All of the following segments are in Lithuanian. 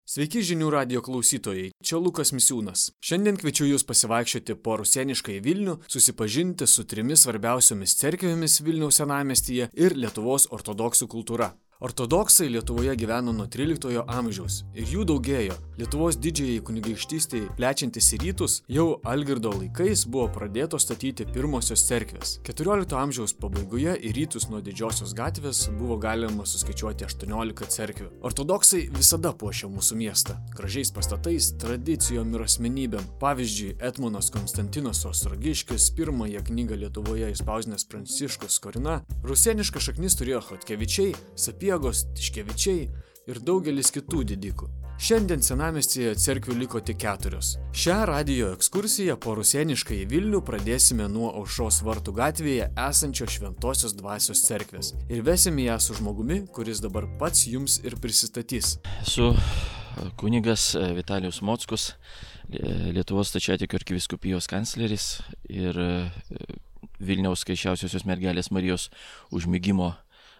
Sveiki žinių radijo klausytojai, čia Lukas Misiūnas. Šiandien kviečiu jūs pasivaikščioti po rusėniškąjį Vilnių, susipažinti su 3 svarbiausiomis cerkvėmis Vilniaus senamiestyje ir Lietuvos ortodoksų kultūra. Ortodoksai Lietuvoje gyveno nuo 13 amžiaus ir jų daugėjo. Lietuvos didžiajai kunigaikštystei plečiantis į rytus, jau Algirdo laikais buvo pradėtos statyti pirmosios cerkvės. 14 amžiaus pabaigoje į rytus nuo Didžiosios gatvės buvo galima suskaičiuoti 18 cerkvių. Ortodoksai visada puošia mūsų miestą gražiais pastatais, tradicijom ir asmenybėm. Pavyzdžiui, Etmonas Konstantinas Ostrogiškis, pirmąją knygą Lietuvoje išspausdinęs Pranciškus Skorina, rusėnišką šaknis turėjo Chodkevičiai, Sapiegos, Tiškevičiai ir daugelis kitų didikų. Šiandien senamiestyje cerkvių liko tik 4. Šią radijo ekskursiją po rusėniškąjį Vilnių pradėsime nuo Aušros vartų gatvėje esančio Šventosios dvasios cerkvės ir vesime ją su žmogumi, kuris dabar pats jums ir prisistatys. Esu kunigas Vitalijus Mockus, Lietuvos stačiatikių arkivyskupijos kancleris ir Vilniaus Skaisčiausiosios mergelės Marijos užmigimo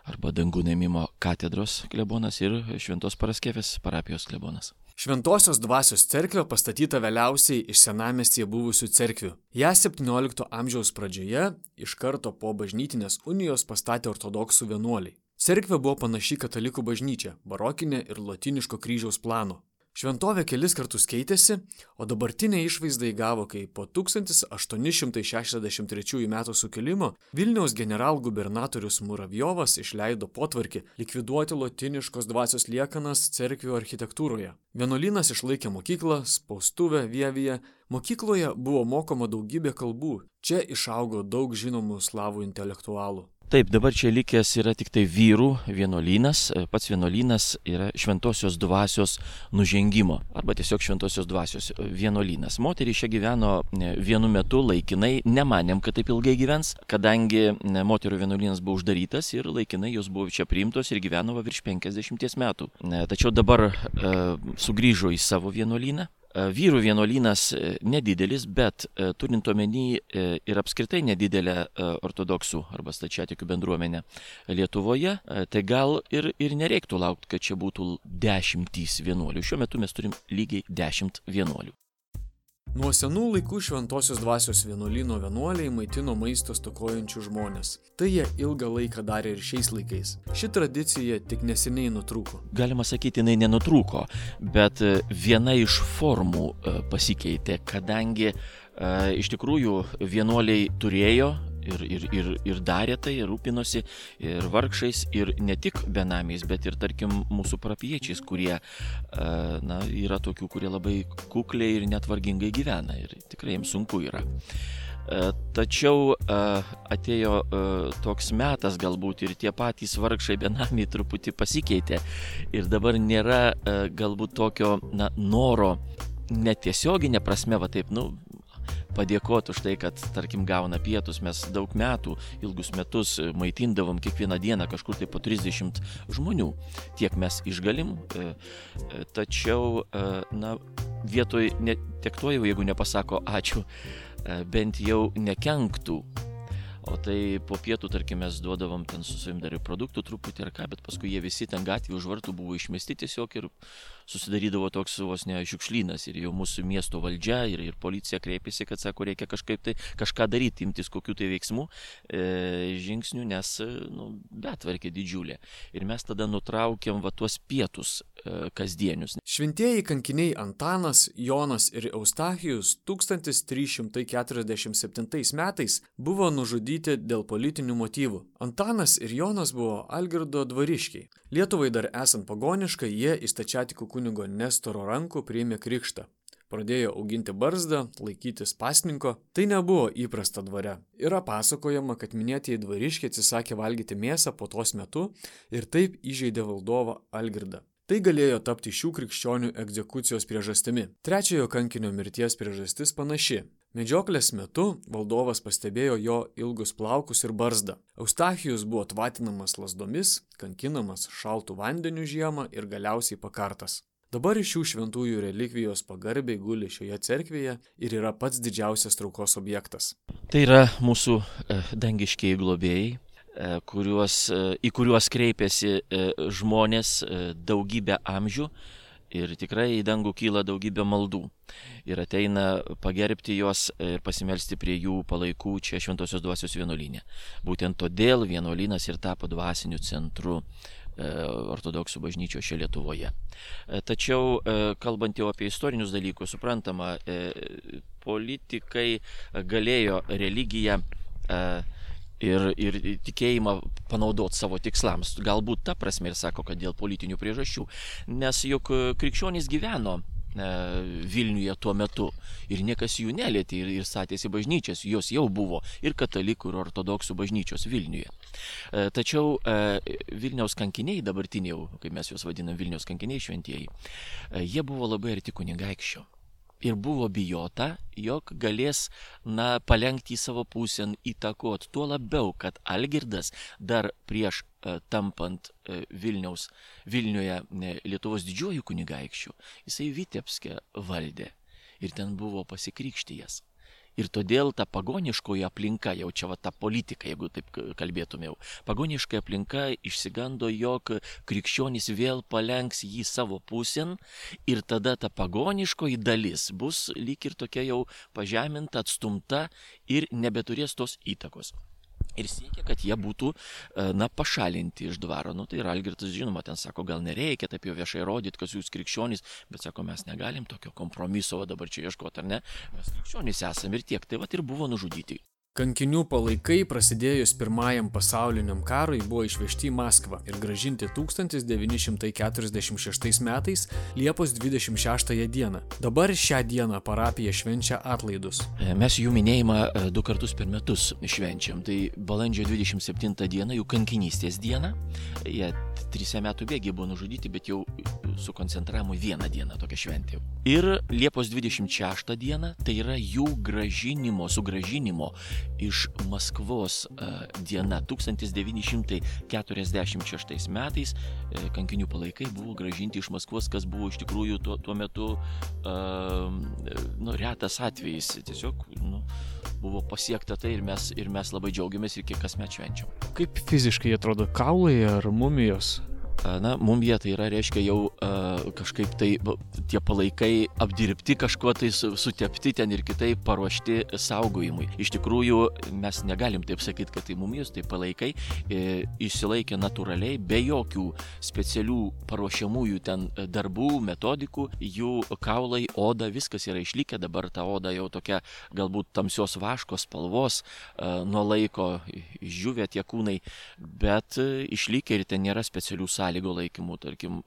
arba dangų ėmimo katedros klebonas ir Šventos Paraskevės parapijos klebonas. Šventosios dvasios cerkvė pastatyta vėliausiai iš senamiestyje buvusių cerkvių. Ją 17 amžiaus pradžioje iš karto po bažnytinės unijos pastatė ortodoksų vienuoliai. Cerkvė buvo panaši katalikų bažnyčia, barokinė ir lotyniško kryžiaus plano. Šventovė kelis kartus keitėsi, o dabartinė išvaizda įgavo, kai po 1863 metų sukilimo Vilniaus generalgubernatorius Muravjovas išleido potvarkį likviduoti lotyniškos dvasios liekanas cerkvių architektūroje. Vienuolynas išlaikė mokyklą, spaustuvę Vievyje. Mokykloje buvo mokoma daugybė kalbų. Čia išaugo daug žinomų slavų intelektualų. Taip, dabar čia likęs yra tik tai vyrų vienuolynas. Pats vienuolynas yra Šventosios dvasios nužengimo arba tiesiog Šventosios dvasios vienuolynas. Moterys čia gyveno vienu metu laikinai, nemanėm, kad taip ilgai gyvens, kadangi moterų vienuolynas buvo uždarytas ir laikinai jos buvo čia priimtos ir gyveno virš 50 metų. Tačiau dabar sugrįžo į savo vienuolyną. Vyrų vienuolynas nedidelis, bet turint omeny ir apskritai nedidelę ortodoksų arba stačiatikių bendruomenę Lietuvoje, tai gal ir nereiktų laukti, kad čia būtų 10 vienuolių. Šiuo metu mes turim lygiai 10 vienuolių. Nuo senų laikų Šventosios dvasios vienuolyno vienuoliai maitino maisto stokojančių žmonės. Tai jie ilgą laiką darė ir šiais laikais. Ši tradicija tik neseniai nutrūko. Galima sakyti, jinai nenutrūko, bet viena iš formų pasikeitė, kadangi iš tikrųjų vienuoliai turėjo ir darė tai, ir rūpinosi ir vargšais, ir ne tik benamiais, bet ir, tarkim, mūsų parapijiečiais, kurie yra tokių, kurie labai kukliai ir net vargingai gyvena ir tikrai jiems sunku yra. Tačiau atėjo toks metas galbūt ir tie patys vargšai benamiai truputį pasikeitė ir dabar nėra galbūt tokio noro netiesioginė prasme, va taip, padėkoti už tai, kad, tarkim, gauna pietus. Mes daug metų, ilgus metus maitindavom kiekvieną dieną kažkur tai po 30 žmonių. Tiek mes išgalim, tačiau, vietoj tiek to jau, jeigu nepasako ačiū, bent jau nekenktų. O tai po pietų, tarkim, mes duodavom ten su savim dar ir produktų truputį ar ką, bet paskui jie visi ten gatvėje už vartų buvo išmesti tiesiog ir susidarydavo toks vos ne šiukšlynas ir jau mūsų miesto valdžia ir policija kreipėsi, kad sako, reikia kažką daryti, imtis kokių tai veiksmų, žingsnių, nes betvarkė didžiulė. Ir mes tada nutraukėm tuos pietus kasdienius. Šventieji kankiniai Antanas, Jonas ir Eustachijus 1347 metais buvo nužudyti dėl politinių motyvų. Antanas ir Jonas buvo Algirdo dvariškiai. Lietuvai dar esant pagoniškai, jie į stačiatikų kunigo Nestoro rankų priėmė krikštą. Pradėjo auginti barzdą, laikytis pasninko. Tai nebuvo įprasta dvare. Yra pasakojama, kad minėtieji dvariškiai atsisakė valgyti mėsą puotos metu ir taip įžeidė valdovą Algirdą. Tai galėjo tapti šių krikščionių egzekucijos priežastimi. Trečiojo kankinio mirties priežastis panaši. Medžioklės metu valdovas pastebėjo jo ilgus plaukus ir barzdą. Eustachijus buvo tvatinamas lazdomis, kankinamas šaltu vandeniu žiemą ir galiausiai pakartas. Dabar šių šventųjų relikvijos pagarbiai guli šioje cerkvėje ir yra pats didžiausias traukos objektas. Tai yra mūsų dangiškieji globėjai, į kuriuos kreipiasi žmonės daugybę amžių ir tikrai į dangų kyla daugybė maldų. Ir ateina pagerbti juos ir pasimelsti prie jų palaikų čia Šventosios dvasios vienuolyne. Būtent todėl vienuolynas ir tapo dvasiniu centru ortodoksų bažnyčios čia Lietuvoje. Tačiau, kalbant jau apie istorinius dalykus, suprantama, politikai galėjo religiją ir tikėjimą panaudoti savo tikslams. Galbūt ta prasme ir sako, kad dėl politinių priežasčių. Nes juk krikščionys gyveno Vilniuje tuo metu ir niekas jų nelietė ir statėsi bažnyčias, jos jau buvo ir katalikų ir ortodoksų bažnyčios Vilniuje. Tačiau Vilniaus kankiniai, dabartiniai jau, kaip mes juos vadinam Vilniaus kankiniai šventieji, jie buvo labai arti kunigaikščio. Ir buvo bijota, jog galės palenkti į savo pusę, įtakot, tuo labiau, kad Algirdas dar prieš tampant Vilniuje Lietuvos didžiuoju kunigaikščiu, jisai Vitebske valdė ir ten buvo pasikrikštijęs. Ir todėl ta pagoniškoji aplinka, jau čia ta politika, jeigu taip kalbėtumėjau, pagoniška aplinka išsigando, jog krikščionys vėl palenks jį savo pusėn ir tada ta pagoniškoji dalis bus lyg ir tokia jau pažeminta, atstumta ir nebeturės tos įtakos. Ir siekia, kad jie būtų pašalinti iš dvaro. Tai ir Algirdas, žinoma, ten sako, gal nereikia taip jau viešai rodyti, kad jūs krikščionys, bet sako, mes negalim tokio kompromiso dabar čia ieškoti, ar ne? Mes krikščionys esame ir tiek. Tai ir buvo nužudyti. Kankinių palaikai prasidėjus Pirmajam pasauliniam karui buvo išvežti į Maskvą ir grąžinti 1946 metais Liepos 26 dieną. Dabar šią dieną parapija švenčia atlaidus. Mes jų minėjimą 2 kartus per metus švenčiam. Tai balandžio 27 dieną, jų kankinystės diena. Jie 3 metų bėgiai buvo nužudyti, bet jau sukoncentravom į vieną dieną tokią šventę. Ir Liepos 26 diena, tai yra jų sugrąžinimo iš Maskvos diena. 1946 metais kankinių palaikai buvo grąžinti iš Maskvos, kas buvo iš tikrųjų tuo metu retas atvejis. Tiesiog buvo pasiekta tai ir mes labai džiaugiamės ir kiek kasmet švenčiam. Kaip fiziškai atrodo kaulai ar mumijos? Mumija tai yra, reiškia, jau kažkaip tai tie palaikai apdirbti, kažkuo tai sutepti ten ir kitaip paruošti saugojimui. Iš tikrųjų, mes negalim taip sakyti, kad tai mumijos, tai palaikai išsilaikė natūraliai, be jokių specialių paruošiamųjų ten darbų, metodikų, jų kaulai, oda, viskas yra išlikę, dabar ta oda jau tokia galbūt tamsios vaškos spalvos, nuo laiko išdžiūvę tie kūnai, bet išlikę ir ten nėra specialių sąlygų laikymų, tarkim,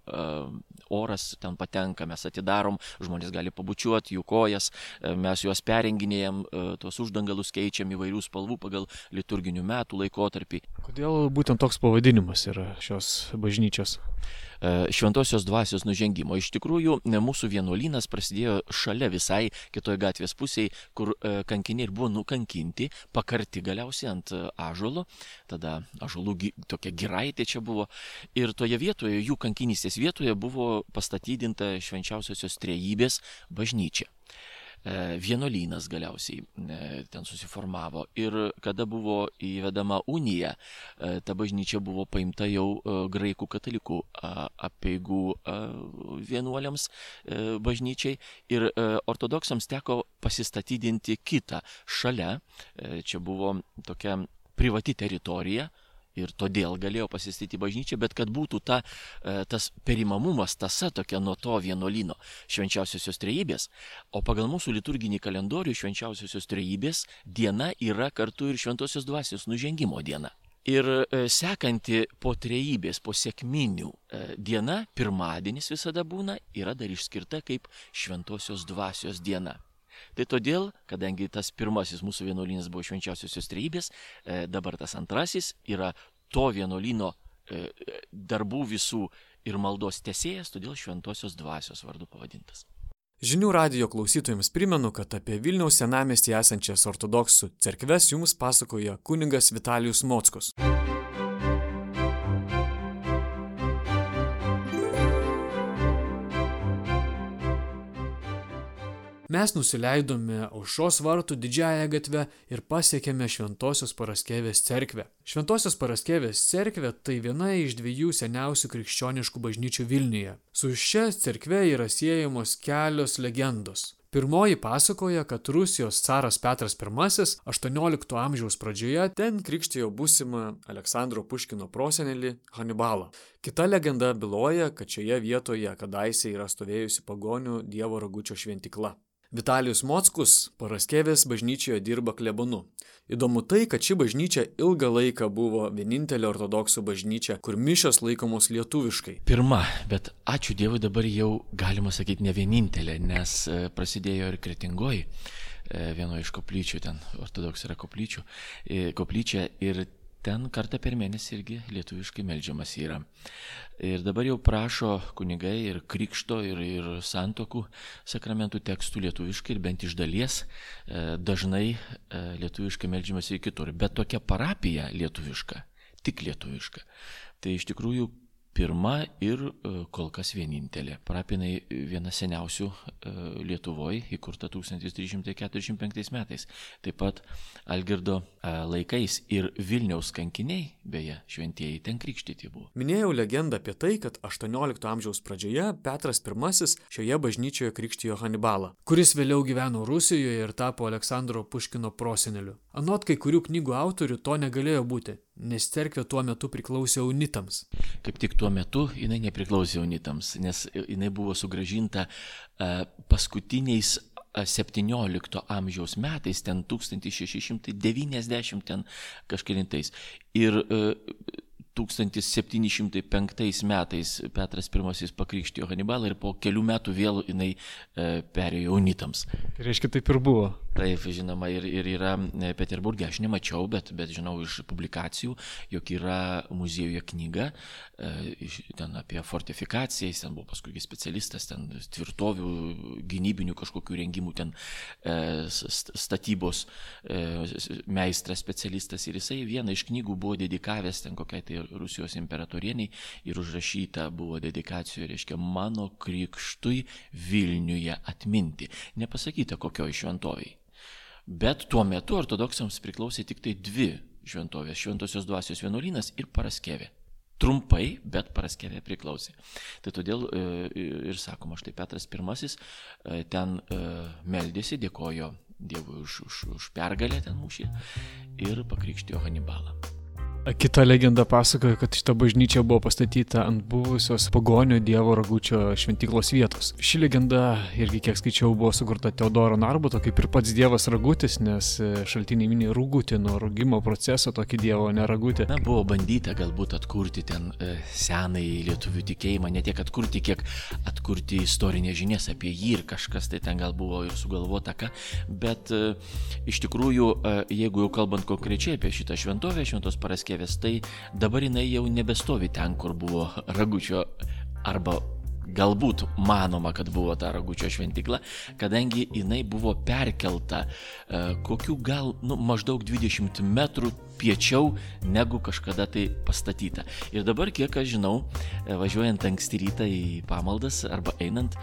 oras ten patenka, mes atidarom, žmonės gali pabučiuoti jų kojas, mes juos perenginėjam, tuos uždangalus keičiam įvairių spalvų pagal liturginių metų laikotarpį. Kodėl būtent toks pavadinimas yra šios bažnyčios? Šventosios dvasios nužengimo. Iš tikrųjų, mūsų vienuolynas prasidėjo šalia visai kitoje gatvės pusėje, kur kankiniai ir buvo nukankinti, pakarti galiausiai ant ąžuolo, tada ąžuolų tokia giraitė čia buvo, ir toje vietoje, jų kankinystės vietoje buvo pastatydinta Švenčiausiosios Trejybės bažnyčia. Vienuolynas galiausiai ten susiformavo ir kada buvo įvedama unija, ta bažnyčia buvo paimta jau graikų katalikų apeigų vienuoliams bažnyčiai ir ortodoksams teko pasistatydinti kitą šalia, čia buvo tokia privati teritorija. Ir todėl galėjo pasistatyti bažnyčią, bet kad būtų tas perimamumas, tąsa tokia nuo to vienuolyno Švenčiausiosios Trejybės, o pagal mūsų liturginį kalendorių Švenčiausiosios Trejybės diena yra kartu ir Šventosios dvasios nužengimo diena. Ir sekanti po Trejybės, po sekminių diena, pirmadienis visada būna, yra dar išskirta kaip Šventosios dvasios diena. Tai todėl, kadangi tas pirmasis mūsų vienuolynas buvo Švenčiausiosios Trejybės, dabar tas antrasis yra to vienuolyno darbų visų ir maldos tęsėjas, todėl Šventosios dvasios vardu pavadintas. Žinių radijo klausytojams primenu, kad apie Vilniaus senamiestyje esančias ortodoksų cerkves jums pasakoja kunigas Vitalijus Mockus. Mes nusileidome Aušros vartų didžiąją gatvę ir pasiekėme Šventosios Paraskevės cerkvę. Šventosios Paraskevės cerkvė tai viena iš 2 seniausių krikščioniškų bažnyčių Vilniuje. Su šia cerkve yra siejamos kelios legendos. Pirmoji pasakoja, kad Rusijos caras Petras I 18 amžiaus pradžioje ten krikštijo būsimą Aleksandro Puškino prosenelį Hanibalą. Kita legenda byloja, kad šioje vietoje kadaise yra stovėjusi pagonių Dievo Ragučio šventykla. Vitalijus Mockus Paraskevės bažnyčioje dirba klebonu. Įdomu tai, kad ši bažnyčia ilgą laiką buvo vienintelė ortodoksų bažnyčia, kur mišios laikomos lietuviškai. Pirma, bet ačiū Dievui dabar jau galima sakyti ne vienintelė, nes prasidėjo ir Kretingoj, vieno iš koplyčių, ten ortodoksų yra koplyčia ir ten kartą per mėnesį irgi lietuviškai meldžiamas yra. Ir dabar jau prašo kunigai ir krikšto, ir santokų sakramentų tekstų lietuviškai ir bent iš dalies dažnai lietuviškai meldžiamas ir kitur. Bet tokia parapija lietuviška, tik lietuviška, tai iš tikrųjų pirma ir kol kas vienintelė. Parapinai viena seniausių Lietuvoje, įkurta 1345 metais. Taip pat Algirdo laikais ir Vilniaus kankiniai, beje, šventieji ten krikštyti buvo. Minėjau legendą apie tai, kad 18 amžiaus pradžioje Petras I šioje bažnyčioje krikštijo Hanibalą, kuris vėliau gyveno Rusijoje ir tapo Aleksandro Puškino proseneliu. Anot kai kurių knygų autorių to negalėjo būti, nes cerkvė tuo metu priklausė unitams. Kaip tik tuo metu jinai nepriklausė unitams, nes jinai buvo sugrąžinta paskutiniais 17 amžiaus metais, ten 1690 ten kažkelintais. Ir 1705 metais Petras I pakrikštijo Hanibalą ir po kelių metų vėl jinai perėjo unitams. Tai reiškia, taip ir buvo. Taip, žinoma, ir yra Peterburge, aš nemačiau, bet žinau iš publikacijų, jog yra muziejuje knyga ten apie fortifikaciją, jis ten buvo paskui specialistas, ten tvirtovių, gynybinių kažkokių rengimų, ten statybos meistras specialistas ir jisai vieną iš knygų buvo dedikavęs ten kokiai tai Rusijos imperatorieniai ir užrašyta buvo dedikacijoje, reiškia, mano krikštui Vilniuje atminti. Nepasakyta kokioj šventovėj. Bet tuo metu ortodoksams priklausė tik tai 2 šventovės, Šventosios Dvasios vienuolynas ir Paraskevė. Trumpai, bet Paraskevė priklausė. Tai todėl ir sakoma, štai Petras I ten meldėsi, dėkojo Dievui už pergalę ten mūšį ir pakrikštijo Hanibalą. Kita legenda pasakoja, kad šita bažnyčia buvo pastatyta ant buvusios pagonio Dievo Ragučio šventyklos vietos. Ši legenda irgi, kiek skaičiau, buvo sukurta Teodoro Narbuto, kaip ir pats Dievas Ragutis, nes šaltiniai mini rugutį nuo rugimo proceso, tokį Dievo neragutį. Na, buvo bandyta galbūt atkurti ten senąjį lietuvių tikėjimą, ne tiek atkurti, kiek atkurti istorinės žinias apie jį ir kažkas tai ten gal buvo ir sugalvota ką, bet iš tikrųjų, jeigu jau kalbant konkrečiai apie šitą šventovę, Šventos Paraskevės, tai dabar jinai jau nebestovi ten, kur buvo Ragučio, arba galbūt manoma, kad buvo ta Ragučio šventykla, kadangi jinai buvo perkelta kokių gal maždaug 20 metrų piečiau negu kažkada tai pastatyta. Ir dabar, kiek aš žinau, važiuojant anksti rytą į pamaldas arba einant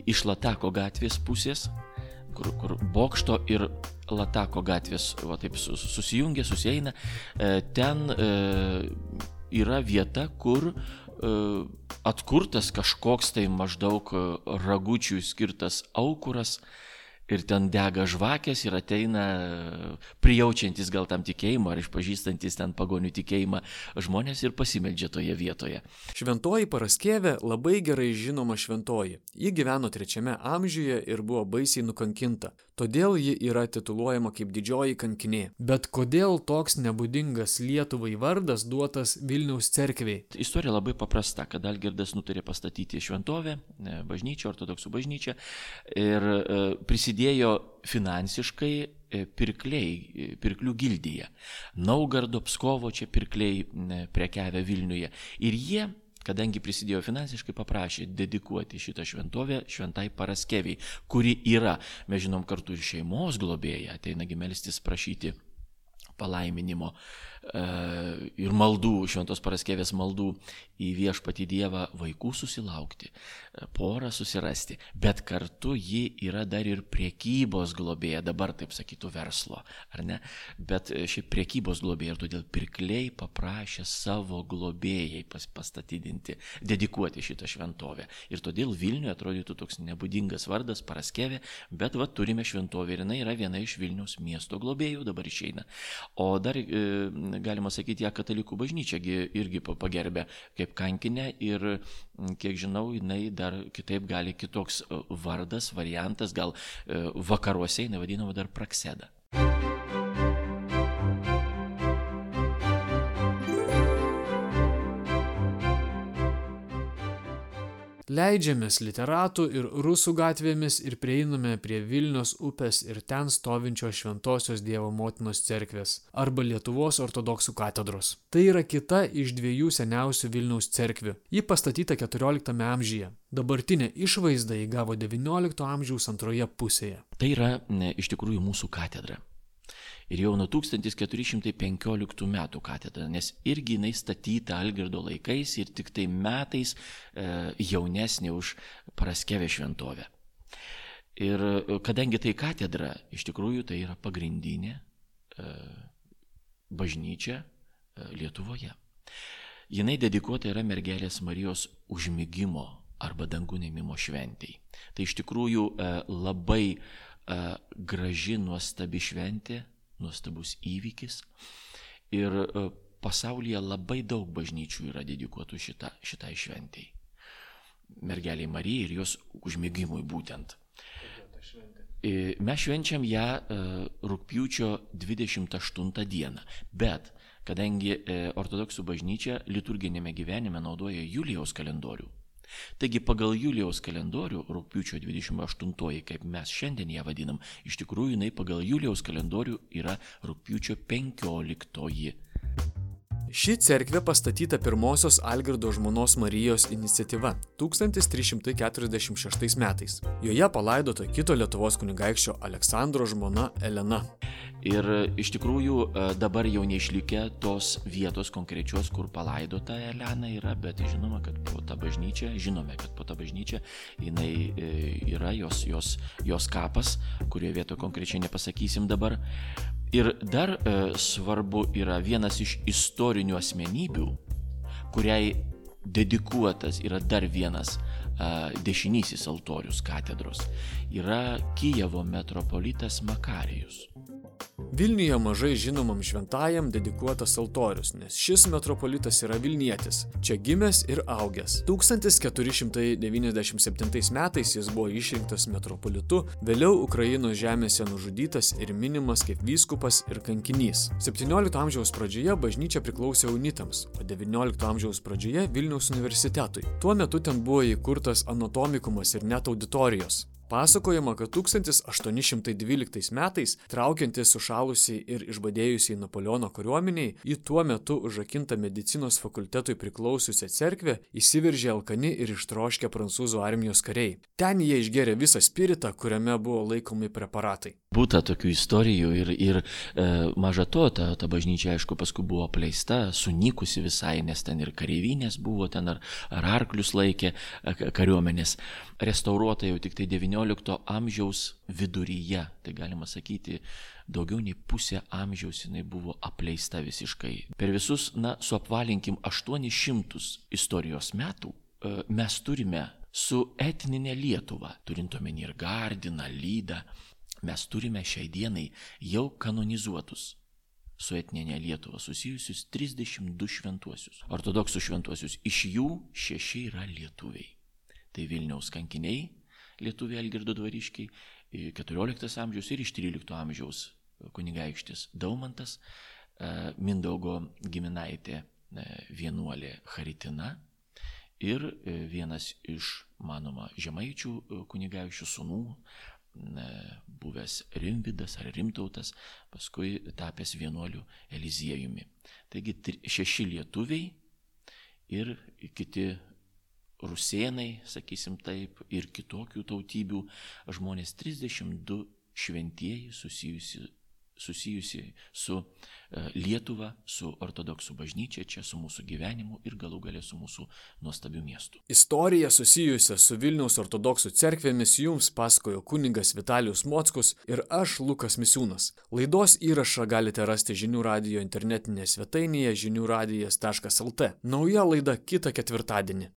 iš Latako gatvės pusės, kur Bokšto ir Latako gatvės va, taip susijungia, susieina, ten yra vieta, kur atkurtas kažkoks tai maždaug Ragučiui skirtas aukuras ir ten dega žvakės ir ateina prijaučiantis gal tam tikėjimą ar išpažįstantis ten pagonių tikėjimą žmonės ir pasimeldžia toje vietoje. Šventoji Paraskevė labai gerai žinoma šventoji. Ji gyveno 3 amžiuje ir buvo baisiai nukankinta. Todėl ji yra tituluojama kaip didžioji kankinė. Bet kodėl toks nebūdingas Lietuvai vardas duotas Vilniaus cerkvei? Istorija labai paprasta, kad Algirdas nutarė pastatyti šventovę, bažnyčią, ortodoksų bažnyčią ir prisidėjo finansiškai pirklių gildija. Naugardo, Pskovo čia pirkliai prekiavę Vilniuje. Ir jie, kadangi prisidėjo finansiškai, paprašė dedikuoti šitą šventovę Šventai Paraskeviai, kuri yra, mes žinom, kartu ir šeimos globėja, ateinagi melstis prašyti palaiminimo ir maldų, Šventos Paraskevės maldų į Viešpatį Dievą vaikų susilaukti, porą susirasti, bet kartu ji yra dar ir priekybos globėja, dabar taip sakytų verslo, ar ne? Bet šiaip priekybos globėja ir todėl pirkliai paprašė savo globėjai pastatydinti, dedikuoti šitą šventovę. Ir todėl Vilniuje atrodytų toks nebūdingas vardas Paraskevė, bet va turime šventovę ir jinai yra viena iš Vilniaus miesto globėjų, dabar išeina. O dar galima sakyti, ją katalikų bažnyčia irgi pagerbė kaip kankinę ir, kiek žinau, jinai dar kitaip gali kitoks vardas, variantas, gal vakaruose jinai vadinama dar Prakseda. Leidžiamės literatų ir rusų gatvėmis ir prieiname prie Vilnios upės ir ten stovinčios Šventosios Dievo Motinos cerkvės arba Lietuvos ortodoksų katedros. Tai yra kita iš dviejų seniausių Vilniaus cerkvių. Ji pastatyta 14 amžiuje. Dabartinė išvaizda įgavo 19 amžiaus antroje pusėje. Tai yra iš tikrųjų mūsų katedra. Ir jau nuo 1415 metų katedra, nes irgi jinai statyta Algirdo laikais ir tik tai metais jaunesnė už Paraskevę šventovę. Ir kadangi tai katedra, iš tikrųjų tai yra pagrindinė bažnyčia Lietuvoje. Jinai dedikuota yra Mergelės Marijos užmigimo arba dangun ėmimo šventei. Tai iš tikrųjų labai graži, nuostabi šventė, nuostabus įvykis ir pasaulyje labai daug bažnyčių yra dedikuotų šitai šventei. Mergeliai Marijai ir jos užmigimui būtent. Mes švenčiam ją rugpjūčio 28 dieną, bet kadangi ortodoksų bažnyčia liturginėme gyvenime naudoja Julijaus kalendorių, taigi pagal Julijaus kalendorių rugpjūčio 28, kaip mes šiandien ją vadinam, iš tikrųjų jinai pagal Julijaus kalendorių yra rugpjūčio 15. Ši cerkvė pastatyta pirmosios Algirdo žmonos Marijos iniciatyva 1346 metais. Joje palaidota kito Lietuvos kunigaikščio Aleksandro žmona Elena. Ir iš tikrųjų dabar jau neišlikę tos vietos konkrečios, kur palaidota Elena yra, bet žinome, kad po tą bažnyčią jinai yra jos kapas, kurio vietoje konkrečiai nepasakysim dabar. Ir dar svarbu yra vienas iš istorinių asmenybių, kuriai dedikuotas yra dar vienas dešinysis altorius katedros, yra Kijevo metropolitas Makarijus. Vilniuje mažai žinomam šventajam dedikuotas altorius, nes šis metropolitas yra vilnietis, čia gimęs ir augęs. 1497 metais jis buvo išrinktas metropolitu, vėliau Ukrainos žemėse nužudytas ir minimas kaip vyskupas ir kankinys. 17 amžiaus pradžioje bažnyčia priklausė unitams, o 19 amžiaus pradžioje Vilniaus universitetui. Tuo metu ten buvo įkurtas anatomikumas ir net auditorijos. Pasakojama, kad 1812 metais, traukiantis sušalusiai ir išbadėjusiai Napoleono kariuomeniai, į tuo metu užrakintą medicinos fakultetui priklausiusią cerkvę įsiveržė alkani ir ištroškę prancūzų armijos kariai. Ten jie išgėrė visą spiritą, kuriame buvo laikomi preparatai. Būta tokių istorijų ir maža to, ta bažnyčia, aišku, paskui buvo apleista, sunykusi visai, nes ten ir kareivinės buvo, ten ar arklius laikė kariuomenės. Restauruota jau tik tai 19 amžiaus viduryje, tai galima sakyti, daugiau nei pusę amžiaus jinai buvo apleista visiškai. Per visus, suapvalinkim 800 istorijos metų, mes turime su etninė Lietuva, turint omeny ir Gardiną, Lydą, mes turime šiai dienai jau kanonizuotus su etninė Lietuva susijusius 32 šventuosius, ortodoksų šventuosius, iš jų 6 yra lietuviai. Tai Vilniaus kankiniai, lietuviai Algirdo dvariškiai, 14 amžiaus ir iš 13 amžiaus kunigaikštis Daumantas, Mindaugo giminaitė vienuolė Charitina ir vienas iš, manoma, žemaičių kunigaikščių sūnų, buvęs Rimvydas ar Rimtautas, paskui tapęs vienuoliu Eliziejumi. Taigi 6 lietuviai ir kiti rusėnai, sakysim taip, ir kitokių tautybių žmonės, 32 šventieji susijusi susijusi su Lietuva, su ortodoksų bažnyčia, čia su mūsų gyvenimu ir galų gale su mūsų nuostabiu miestu. Istoriją susijusią su Vilniaus ortodoksų cerkvėmis jums pasakojo kunigas Vitalijus Mockus ir aš, Lukas Misiūnas. Laidos įrašą galite rasti Žinių radijo internetinėje svetainėje žiniųradijas.lt. Nauja laida kitą ketvirtadienį.